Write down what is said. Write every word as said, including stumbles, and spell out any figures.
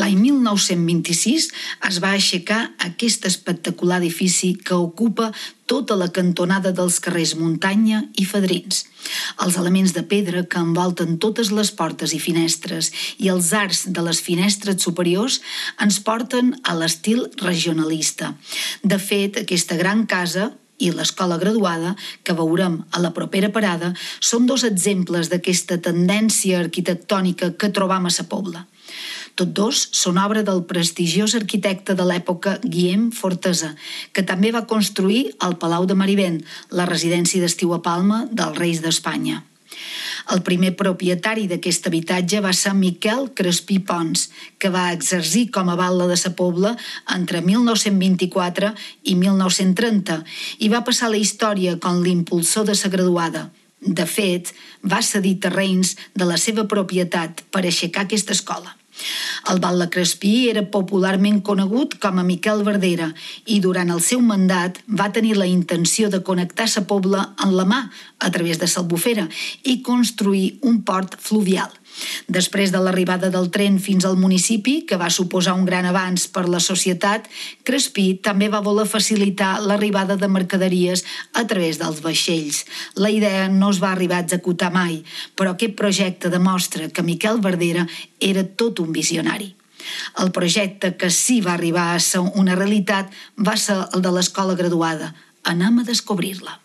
L'any mil nou-cents vint-i-sis es va aixecar aquest espectacular edifici que ocupa tota la cantonada dels carrers Muntanya i Fadrins. Els elements de pedra que envolten totes les portes i finestres i els arcs de les finestres superiors ens porten a l'estil regionalista. De fet, aquesta gran casa i l'escola graduada, que veurem a la propera parada, són dos exemples d'aquesta tendència arquitectònica que trobam a Sa Pobla. Tots dos són obra del prestigiós arquitecte de l'època Guillem Fortesa, que també va construir el Palau de Marivent, la residència d'estiu a Palma dels reis d'Espanya. El primer propietari d'aquest habitatge va ser Miquel Crespí Pons, que va exercir com a batlle de Sa Pobla entre mil nou-cents vint-i-quatre i mil nou-cents trenta i va passar a la història com l'impulsor de Sa Graduada. De fet, va cedir terrenys de la seva propietat per aixecar aquesta escola. El batlle Crespí era popularment conegut com a Miquel Verdera i durant el seu mandat va tenir la intenció de connectar Sa Pobla en la mà a través de l'Albufera i construir un port fluvial. Després de l'arribada del tren fins al municipi, que va suposar un gran avanç per la societat, Crespí també va voler facilitar l'arribada de mercaderies a través dels vaixells. La idea no es va arribar a executar mai, però aquest projecte demostra que Miquel Verdera era tot un visionari. El projecte que sí va arribar a ser una realitat va ser el de l'escola graduada. Anem a descobrir-la.